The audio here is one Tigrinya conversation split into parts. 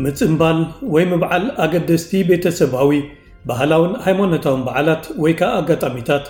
ምጽንባል ወይ ምብዓል ኣገደስቲ ቤተሰባዊ፣ ባህላውን ሃይማኖታውን በዓላት ወይ ከኣ ኣጋጣሚታት፣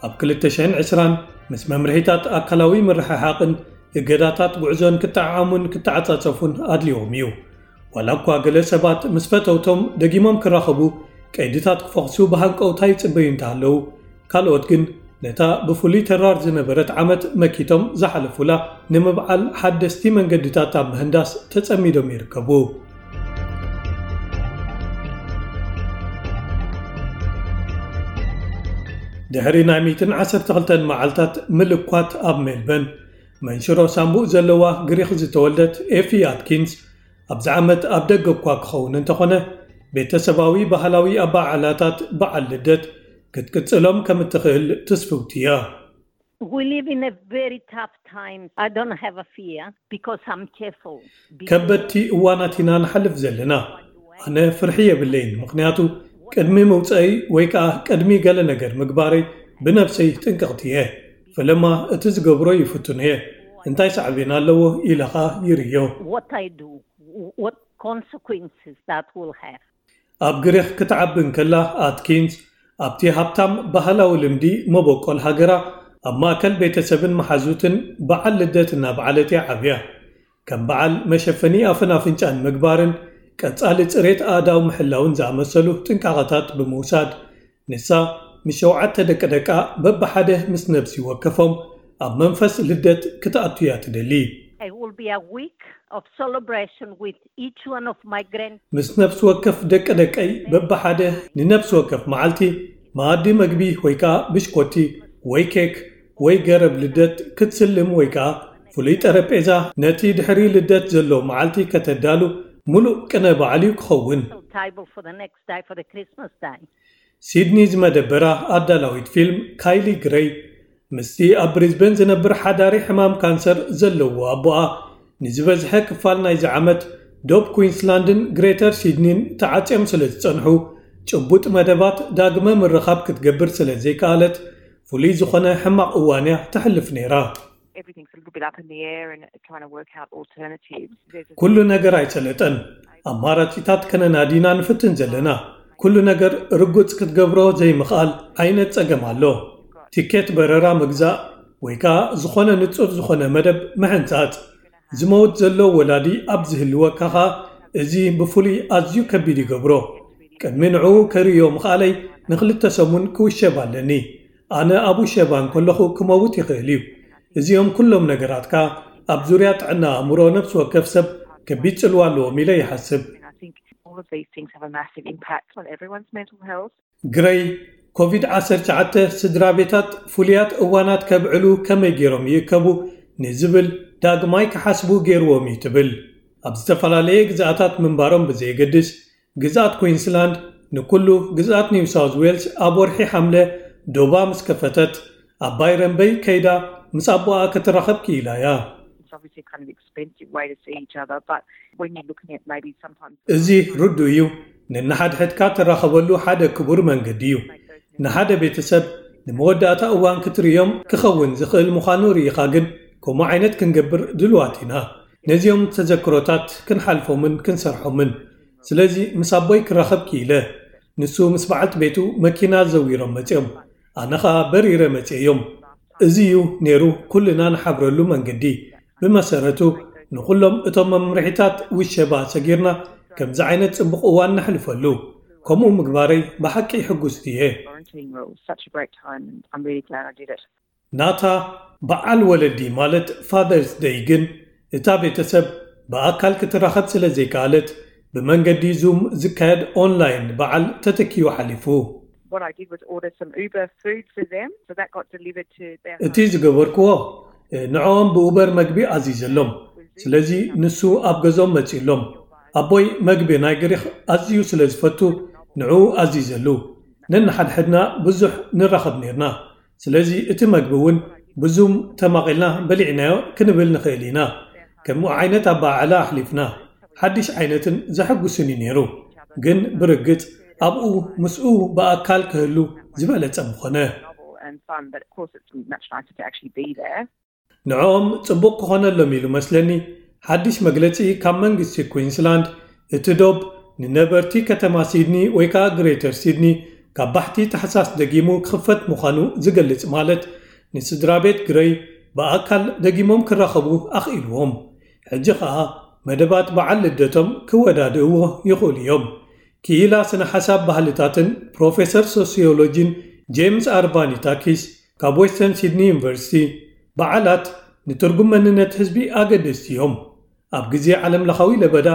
ኣብ ክልተ ሽሕን ዕስራን ምስ መምርሒታት ኣካላዊ ምርሕሓቕን እገዳታት ጉዕዞን ክጠዓዓሙን ክተዓጻጸፉን ኣድልዎም እዩ። ዋላ እኳ ገለ ሰባት ምስ ፈተውቶም ደጊሞም ክራኸቡ ቀይድታት ክፈኽሱ ብሃንቀውታ ይጽበዩ እንተሃለዉ፣ ካልኦት ግን ነታ ብፍሉይ ተራር ዝነበረት ዓመት መኪቶም ዝሓለፉላ ንምብዓል ሓደስቲ መንገድታት ኣብ ምህንዳስ ተጸሚዶም ይርከቡ። ድሕሪ ናይ ሚእትን ዓሰርተ ክልተን መዓልታት ምልኳት ኣብ ሜልበን፣ መንሽሮ ሳምቡእ ዘለዋ ግሪኽ ዝተወልደት ኤፊ ኣትኪንስ፣ ኣብዚ ዓመት ኣብ ደገ እኳ ክኸውን እንተኾነ፣ ቤተሰባዊ ባህላዊ ኣበዓዕላታት በዓል ልደት ክትቅጽሎም ከም እትኽእል ትስፍውቲ እያ። We live in a very tough time. I don't have a fear because I'm careful. ከበድቲ እዋናት ኢና ንሓልፍ ዘለና። ኣነ ፍርሒ የብለይን፣ ምኽንያቱ ቅድሚ ምውፀይ ወይ ከዓ ቅድሚ ገለ ነገር ምግባረይ ብነብሰይ ጥንቅቕቲ እየ። ፈለማ እቲ ዝገብሮ ይፍትን እየ። እንታይ ሳዕቤን ኣለዎ ኢለ ኸዓ ይርእዮ። What I do, what consequences that will have. ኣብ ግሪኽ ክትዓቢ እንከላ ኣትኪንስ፣ ኣብቲ ሃብታም ባህላዊ ልምዲ መበቆል ሃገራ፣ ኣብ ማእከል ቤተሰብን መሓዙትን በዓል ልደት እናበዓለት እያ ዓብያ። ከም በዓል መሸፈኒ ኣፍን ኣፍንጫን ምግባርን ቀጻሊ ጽሬት ኣእዳው ምሕላውን ዝኣመሰሉ ጥንቃቐታት ብምውሳድ፣ ንሳ ምስ ሸውዓተ ደቂ ደቃ በብሓደ ምስ ነብሲ ወከፎም ኣብ መንፈስ ልደት ክትኣቱ እያ ትደሊ። It will be a week of celebration with each one of my grand. ምስ ነፍሲ ወከፍ ደቂ ደቀይ በብሓደ ንነፍሲ ወከፍ መዓልቲ መኣዲ መግቢ ወይ ከዓ ብሽኮቲ ወይ ኬክ ወይ ገረብ ልደት ክትስልም ወይ ከዓ ፍሉይ ጠረጴዛ ነቲ ድሕሪ ልደት ዘሎ መዓልቲ ከተዳሉ ሙሉእ ቅነ በዓል እዩ ክኸውን። Table for the next day, for the Christmas day. ሲድኒ ዝመደበራ ኣዳላዊት ፊልም ካይሊ ግረይ ምስቲ ኣብ ብሪዝበን ዝነብር ሓዳሪ ሕማም ካንሰር ዘለዎ ኣቦኣ ንዝበዝሐ ክፋል ናይዚ ዓመት ዶብ ኩዊንስላንድን ግሬተር ሲድኒን ተዓጽዮም ስለ ዝጸንሑ፣ ጭቡጥ መደባት ዳግመ ምርኻብ ክትገብር ስለ ዘይከኣለት፣ ፍሉይ ዝኾነ ሕማቕ እዋን እያ ተሕልፍ ነይራ። Everything's a little bit up in the air and trying to work out alternatives. There's a ኩሉ ነገር ኣይሰለጠን። ኣማራጺታት ከነናዲና ንፍትን ዘለና። ኩሉ ነገር ርጉጽ ክትገብሮ ዘይምኽኣል ዓይነት ጸገም ኣሎ። ቲኬት በረራ ምግዛእ ወይ ከኣ ዝኾነ ንጹር ዝኾነ መደብ ምሕንጻጽ። ዝመውት ዘሎ ወላዲ ኣብ ዝህልወካ ኸኣ እዚ ብፍሉይ ኣዝዩ ከቢድ ይገብሮ። ቅድሚ ንዕኡ ከርእዮ ምኽኣለይ ንኽልተ ሰሙን ክውሸብ ኣለኒ። ኣነ ኣብ ውሸባ እንከለኹ ክመውት ይኽእል እዩ። እዚኦም ኩሎም ነገራትካ ኣብ ዙርያ ጥዕና ኣእምሮ ነፍሲ ወከፍ ሰብ ከቢድ ጽልዋ ኣለዎም ኢለ ይሓስብ። I think all of these things have a massive impact on everyone's mental health. ግረይ፣ ኮቪድ ዓሰርተ ትሽዓተ ስድራ ቤታት ፍሉያት እዋናት ከብዕሉ ከመይ ገይሮም ይእከቡ ንዝብል ዳግማይ ክሓስቡ ገይርዎም እዩ ትብል። ኣብ ዝተፈላለየ ግዝኣታት ምንባሮም ብዘየገድስ፣ ግዝኣት ኩዊንስላንድ ንኩሉ ግዝኣት ኒው ሳውዝ ዌልስ ኣብ ወርሒ ሓምለ ዶባ ምስ ከፈተት፣ ኣብ ባይረን በይ ከይዳ ምስ ኣቦኣ ክትራኸብ ክኢላ እያ። It's obviously kind of expensive way to see each other, but when you're looking at maybe sometimes እዚ ርዱእ እዩ። ነንሓድሕድካ ትራኸበሉ ሓደ ክቡር መንገዲ እዩ። ንሓደ ቤተሰብ ንመወዳእታ እዋን ክትርእዮም ክኸውን ዝኽእል ምዃኑ ርኢኻ ግን፣ ከምኡ ዓይነት ክንገብር ድልዋት ኢና። ነዚኦም ተዘክሮታት ክንሓልፎምን ክንሰርሖምን። ስለዚ ምስ ኣቦይ ክራኸብ ክኢለ። ንሱ ምስ በዓልቲ ቤቱ መኪና ዘዊሮም መጺኦም። ኣነ ኸኣ በሪረ መጺኤዮም። እዚ እዩ ነይሩ ኩልና ንሓብረሉ መንገዲ። ብመሰረቱ ንኹሎም እቶም መምርሒታት ውሸባ ሰጊርና ከምዚ ዓይነት ጽቡቕ እዋን ነሕልፈሉ። ከምኡ ምግባረይ ብሓቂ ሕጉስቲ እየ። Quarantine rules, such a great time, and I'm really glad I did it. ናታ በዓል ወለዲ ማለት ፋደርስ ደይ ግን እታ ቤተሰብ ብኣካል ክትራኸብ ስለ ዘይከኣለት ብመንገዲ ዙም ዝካየድ ኦንላይን በዓል ተተኪዩ ሓሊፉ። What I did was order some Uber food for them, so that got delivered to their እቲ ዝገበርክዎ ንዕኦም ብኡበር መግቢ ኣዚዘሎም። ስለዚ ንሱ ኣብ ገዝኦም መጺኡሎም። ኣቦይ መግቢ ናይ ግሪኽ ኣዝዩ ስለ ዝፈቱ ንዕኡ ኣዚዘሉ። ነንሓድሕድና ብዙሕ ንራኸብ ነይርና። ስለዚ እቲ መግቢ እውን ብዙም ተማቒልና በሊዕናዮ ክንብል ንኽእል ኢና። ከምኡ ዓይነት ኣበዓዕላ ኣሕሊፍና። ሓድሽ ዓይነትን ዘሐጉስን እዩ ነይሩ። ግን ብርግጽ ኣብኡ ምስኡ ብኣካል ክህሉ ዝበለጸ ምኾነ። novel and fun, but of course it's much nicer to actually be there. ንዕኦም ጽቡቕ ክኾነሎም ኢሉ መስለኒ ሓድሽ መግለጺ ካብ መንግስቲ ኩዊንስላንድ እቲ ዶብ ንነበርቲ ከተማ ሲድኒ ወይ ከዓ ግሬተር ሲድኒ ካብ ባሕቲ ታሕሳስ ደጊሙ ክኽፈት ምዃኑ ዝገልጽ፣ ማለት ንስድራ ቤት ግረይ ብኣካል ደጊሞም ክራኸቡ ኣኽኢልዎም። ሕጂ ከዓ መደባት በዓል ልደቶም ክወዳድእዎ ይኽእሉ እዮም። ክኢላ ስነ ሓሳብ ባህልታትን ፕሮፌሰር ሶሲዮሎጂን ጄምስ ኣርቫኒታኪስ ካብ ዌስተርን ሲድኒ ዩኒቨርሲቲ፣ በዓላት ንትርጉም መንነት ህዝቢ ኣገደስቲ እዮም። ኣብ ግዜ ዓለም ለኻዊ ለበዳ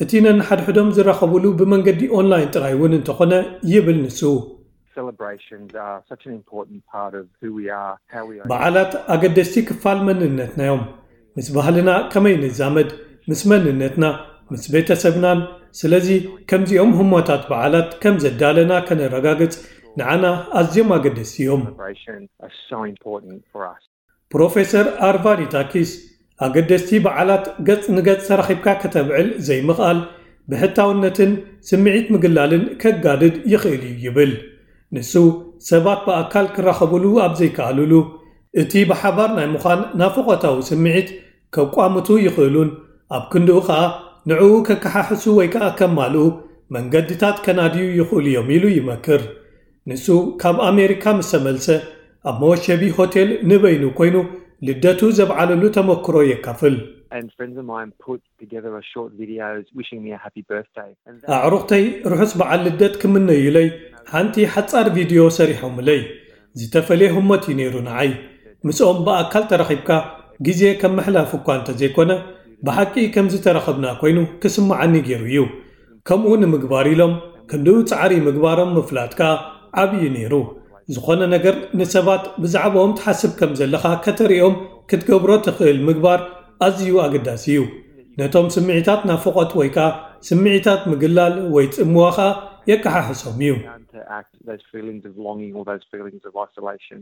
እቲ ነንሓድሕዶም ዝራኸቡሉ ብመንገዲ ኦንላይን ጥራይ እውን እንተኾነ ይብል ንሱ። Celebrations are such an important part of who we are, how we are. በዓላት ኣገደስቲ ክፋል መንነትና እዮም። ምስ ባህልና ከመይ ንዛመድ፣ ምስ መንነትና፣ ምስ ቤተሰብናን። ስለዚ ከምዚኦም ህሞታት በዓላት ከም ዘዳለና ከነረጋግጽ ንዓና ኣዝዮም ኣገደስቲ እዮም። Celebrations are so important for us. ፕሮፌሰር ኣርቫኒታኪስ ኣገደስቲ በዓላት ገጽ ንገጽ ተራኺብካ ከተብዕል ዘይምኽኣል ብሕታውነትን ስምዒት ምግላልን ከጋድድ ይኽእል እዩ ይብል። ንሱ ሰባት ብኣካል ክራኸቡሉ ኣብ ዘይከኣሉሉ፣ እቲ ብሓባር ናይ ምዃን ናፍቖታዊ ስምዒት ከቋምቱ ይኽእሉን ኣብ ክንድኡ ኸኣ ንዕኡ ከከሓሕሱ ወይ ከኣ ከማልኡ መንገድታት ከናድዩ ይኽእሉ እዮም ኢሉ ይመክር። ንሱ ካብ ኣሜሪካ ምስ ተመልሰ ኣብ መወሸቢ ሆቴል ንበይኑ ኮይኑ ልደቱ ዘብዓለሉ ተመክሮ የካፍል። And friends of mine put together a short video wishing me a happy birthday. And that ኣዕሩኽተይ ርሑስ በዓል ልደት ክምነዩለይ ሓንቲ ሓጻር ቪድዮ ሰሪሖምለይ። ዝተፈለየ ህሞት እዩ ነይሩ ንዓይ። ምስኦም ብኣካል ተራኺብካ ግዜ ከም ምሕላፍ እኳ እንተዘይኮነ ብሓቂ ከም ዝተራኸብና ኮይኑ ክስምዓኒ ገይሩ እዩ። ከምኡ ንምግባር ኢሎም ክንድኡ ጻዕሪ ምግባሮም ምፍላጥ ከኣ ዓብዪ ነይሩ። ዝኾነ ነገር ንሰባት ብዛዕባኦም ትሓስብ ከም ዘለኻ ከተርእዮም ክትገብሮ ትኽእል ምግባር ኣዝዩ ኣገዳሲ እዩ። ነቶም ስምዒታት ናፍቖት ወይ ከኣ ስምዒታት ምግላል ወይ ጽምዋ ኸኣ የከሓሕሶም እዩ። Counteract those feelings of longing or those feelings of isolation.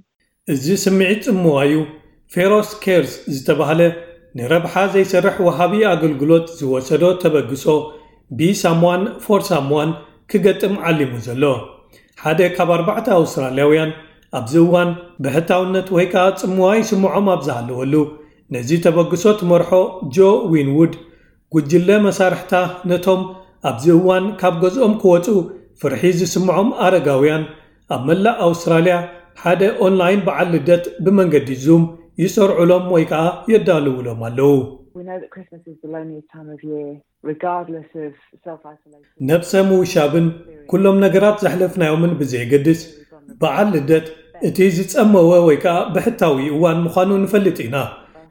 እዚ ስምዒት ጽምዋ እዩ። ፌሮስ ኬርስ ዝተባህለ ንረብሓ ዘይሰርሕ ወሃቢ ኣገልግሎት ዝወሰዶ ተበግሶ፣ ቢ ሳምዋን ፎር ሳምዋን፣ ክገጥም ዓሊሙ ዘሎ። ሓደ ካብ ኣርባዕተ ኣውስትራልያውያን ኣብዚ እዋን ብሕታውነት ወይ ከኣ ጽምዋ ይስምዖም ኣብ ዝሃለወሉ፣ ነዚ ተበግሶ ትመርሖ ጆ ዊንውድ፣ ጉጅለ መሳርሕታ ነቶም ኣብዚ እዋን ካብ ገዝኦም ክወጹ ፍርሒ ዝስምዖም ኣረጋውያን ኣብ መላእ ኣውስትራልያ ሓደ ኦንላይን በዓል ልደት ብመንገዲ ዙም ይሰርዑሎም ወይ ከኣ የዳልውሎም ኣለዉ። We know that Christmas is the loneliest time of year, regardless of self isolation. ነብሰ ምውሻብን ኩሎም ነገራት ዘሕለፍናዮምን ብዘየገድስ፣ በዓል ልደት እቲ ዝጸመወ ወይ ከኣ ብሕታዊ እዋን ምዃኑ ንፈልጥ ኢና።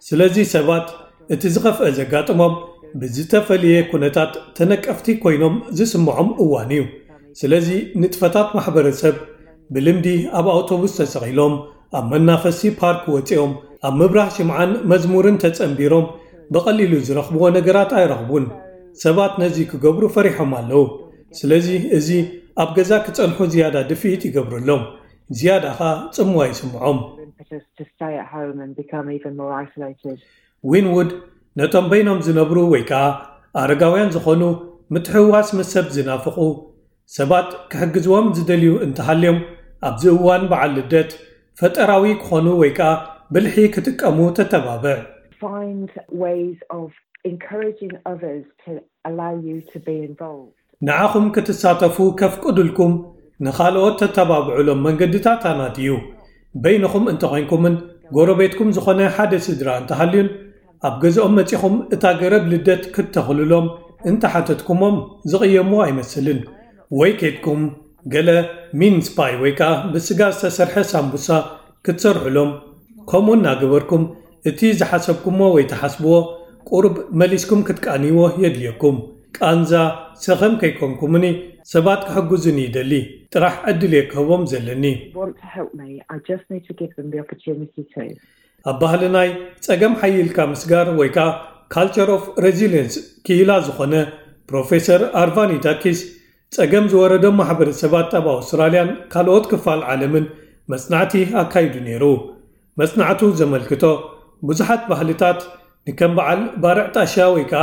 ስለዚ ሰባት እቲ ዝኸፍአ ዘጋጥሞም ብዝተፈልየ ኩነታት ተነቀፍቲ ኮይኖም ዝስምዖም እዋን እዩ። ስለዚ ንጥፈታት ማሕበረሰብ ብልምዲ ኣብ ኣውቶቡስ ተሰቒሎም፣ ኣብ መናፈሲ ፓርክ ወጺኦም፣ ኣብ ምብራህ ሽምዓን መዝሙርን ተጸንቢሮም ብቐሊሉ ዝረኽብዎ ነገራት ኣይረኽቡን። ሰባት ነዚ ክገብሩ ፈሪሖም ኣለዉ። ስለዚ እዚ ኣብ ገዛ ክጸንሑ ዝያዳ ድፍኢት ይገብረሎም። ዝያዳ ኸኣ ጽምዋ ይስምዖም። Impetus to stay at home and become even more isolated. ዊንውድ ነቶም በይኖም ዝነብሩ ወይ ከኣ ኣረጋውያን ዝኾኑ ምትሕውዋስ ምስ ሰብ ዝናፍቑ ሰባት ክሕግዝዎም ዝደልዩ እንተሃልዮም ኣብዚ እዋን በዓል ልደት ፈጠራዊ ክኾኑ ወይ ከኣ ብልሒ ክጥቀሙ ተተባብዕ። Find ways of encouraging others to allow you to be involved. ንዓኹም ክትሳተፉ ከፍቅዱልኩም ንኻልኦት ተተባብዑሎም መንገድታት ኣናድዩ። በይንኹም እንተኾይንኩምን ጎረቤትኩም ዝኾነ ሓደ ስድራ እንተሃልዩን ኣብ ገዝኦም መጺኹም እታ ገረብ ልደት ክትተኽሉሎም እንተሓተትኩሞም ዝቕየሙ ኣይመስልን። ወይ ኬድኩም ገለ ሚንስ ፓይ ወይ ከኣ ብስጋ ዝተሰርሐ ሳምቡሳ ክትሰርሑሎም፣ ከምኡ እናገበርኩም እቲ ዝሓሰብኩሞ ወይ ትሓስብዎ ቁሩብ መሊስኩም ክትቃንይዎ የድልየኩም። ቃንዛ ሰኸም ከይኮንኩምኒ ሰባት ክሕግዙኒ ይደሊ ጥራሕ ዕድል እየ ክህቦም ዘለኒ። Want to help me, I just need to give them the opportunity to. ኣብ ባህልናይ ጸገም ሓይልካ ምስጋር ወይ ከኣ ካልቸር ኦፍ ሬዚሊየንስ ክኢላ ዝኾነ ፕሮፌሰር ኣርቫኒታኪስ ጸገም ዝወረዶም ማሕበረሰባት ኣብ ኣውስትራልያን ካልኦት ክፋል ዓለምን መጽናዕቲ ኣካይዱ ነይሩ። መጽናዕቱ ዘመልክቶ ብዙሓት ባህልታት ንከም በዓል ባርዕ ጣሻ ወይ ከኣ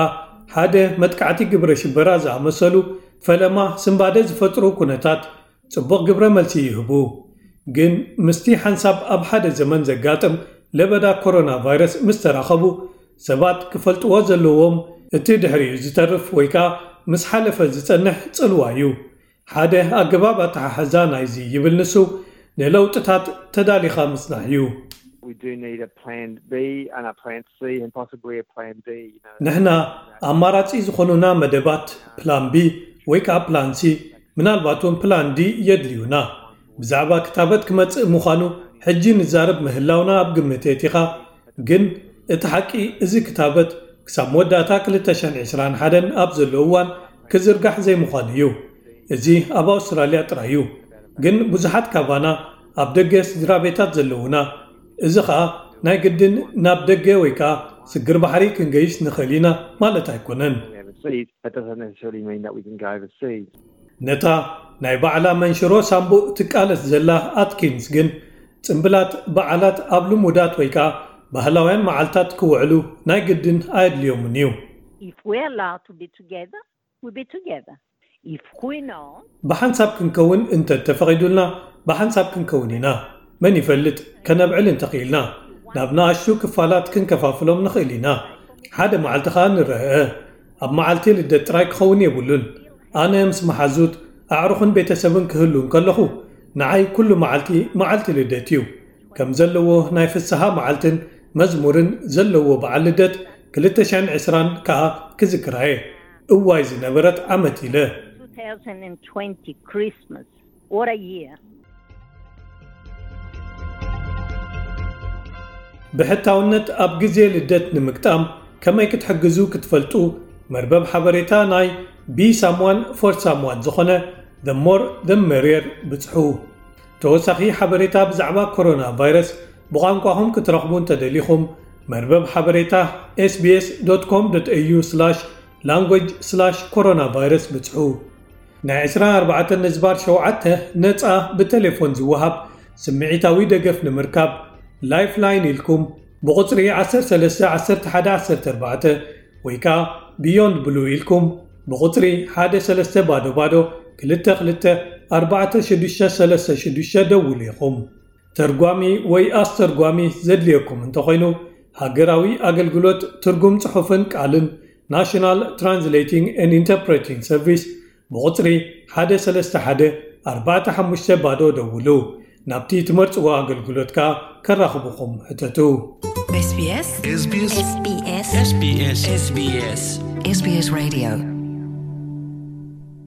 ሓደ መጥቃዕቲ ግብረ ሽበራ ዝኣመሰሉ ፈለማ ስንባደ ዝፈጥሩ ኩነታት ጽቡቕ ግብረ መልሲ ይህቡ። ግን ምስቲ ሓንሳብ ኣብ ሓደ ዘመን ዘጋጥም ለበዳ ኮሮና ቫይረስ ምስ ተራኸቡ ሰባት ክፈልጥዎ ዘለዎም እቲ ድሕሪኡ ዝተርፍ ወይ ከኣ ምስ ሓለፈ ዝጸንሕ ጽልዋ እዩ። ሓደ ኣገባብ ኣተሓሕዛ ናይዚ ይብል ንሱ፣ ንለውጥታት ተዳሊኻ ምጽናሕ እዩ። We do need a plan B and a plan C and possibly a plan D. You know. ንሕና ኣማራጺ ዝኾኑና መደባት ፕላን ቢ ወይ ከዓ ፕላን ሲ፣ ምናልባት እውን ፕላን ዲ የድልዩና። ብዛዕባ ክታበት ክመጽእ ምዃኑ ሕጂ ንዛረብ ምህላውና ኣብ ግምት የእቲኻ። ግን እቲ ሓቂ፣ እዚ ክታበት ክሳብ መወዳእታ ክልተ ሽሕን ዕስራን ሓደን ኣብ ዘሎ እዋን ክዝርጋሕ ዘይምዃኑ እዩ። እዚ ኣብ ኣውስትራልያ ጥራይ እዩ። ግን ብዙሓት ካባና ኣብ ደገ ስድራ ቤታት ዘለዉና፣ እዚ ኸኣ ናይ ግድን ናብ ደገ ወይ ከኣ ስግር ባሕሪ ክንገይሽ ንኽእል ኢና ማለት ኣይኮነን። Overseas, that doesn't necessarily mean that we can go overseas. ነታ ናይ ባዕላ መንሽሮ ሳምቡእ ትቃለስ ዘላ ኣትኪንስ ግን፣ ጽምብላት በዓላት ኣብ ልሙዳት ወይ ከኣ ባህላውያን መዓልታት ክውዕሉ ናይ ግድን ኣየድልዮምን እዩ። If we're allowed to be together, we'll be together. If we're not, ብሓንሳብ ክንከውን እንተ ተፈቒዱልና፣ ብሓንሳብ ክንከውን ኢና። መን ይፈልጥ፣ ከነብዕል እንተኽኢልና፣ ናብ ንኣሽቱ ክፋላት ክንከፋፍሎም ንኽእል ኢና። ሓደ መዓልቲ ኸኣ ንረአ። ኣብ መዓልቲ ልደት ጥራይ ክኸውን የብሉን። ኣነ ምስ መሓዙት፣ ኣዕሩኽን ቤተሰብን ክህሉ እንከለኹ፣ ንዓይ ኩሉ መዓልቲ፣ መዓልቲ ልደት እዩ። ከም ዘለዎ ናይ ፍስሃ መዓልትን መዝሙርን ዘለዎ በዓል ልደት ክልተ ሽሕን ዕስራን ከኣ ክዝክራ እየ። እዋይ ዝነበረት ዓመት ኢለ። two thousand twenty Christmas. What a year. ብሕታውነት ኣብ ግዜ ልደት ንምግጣም ከመይ ክትሕግዙ ክትፈልጡ፣ መርበብ ሓበሬታ ናይ Be Someone for Someone ዝኾነ The More The Merrier ብጽሑ። ተወሳኺ ሓበሬታ ብዛዕባ ኮሮና ቫይረስ ብቋንቋኹም ክትረኽቡ እንተደሊኹም፣ መርበብ ሓበሬታ ኤስቢኤስ ዶት ኮም ዶት ኤዩ ስላሽ ላንጉጅ ስላሽ ኮሮና ቫይረስ ብጽሑ። ናይ ዕስራን ኣርባዕተን ነጥቢ ሸውዓተ ነጻ ብቴሌፎን ዝወሃብ ስምዒታዊ ደገፍ ንምርካብ፣ ላይፍላይን ኢልኩም ብቑጽሪ ዓሰርተ ሰለስተ ዓሰርተ ሓደ ዓሰርተ ኣርባዕተ ወይ ከኣ ቢዮንድ ብሉ ኢልኩም ብቑጽሪ ሓደ ሰለስተ ባዶ ባዶ ክልተ ክልተ ኣርባዕተ ሽዱሽተ ሰለስተ ሽዱሽተ ደውሉ ኢኹም። ተርጓሚ ወይ ኣስተርጓሚ ዘድልየኩም እንተኾይኑ፣ ሃገራዊ ኣገልግሎት ትርጉም ጽሑፍን ቃልን፣ National Translating and Interpreting Service፣ ብቑጽሪ ሓደ ሰለስተ ሓደ ኣርባዕተ ሓሙሽተ ባዶ ደውሉ። ናብቲ ትመርጽዎ ኣገልግሎት ከኣ ከራኽቡኹም ሕተቱ። SBS SBS SBS SBS SBS Radio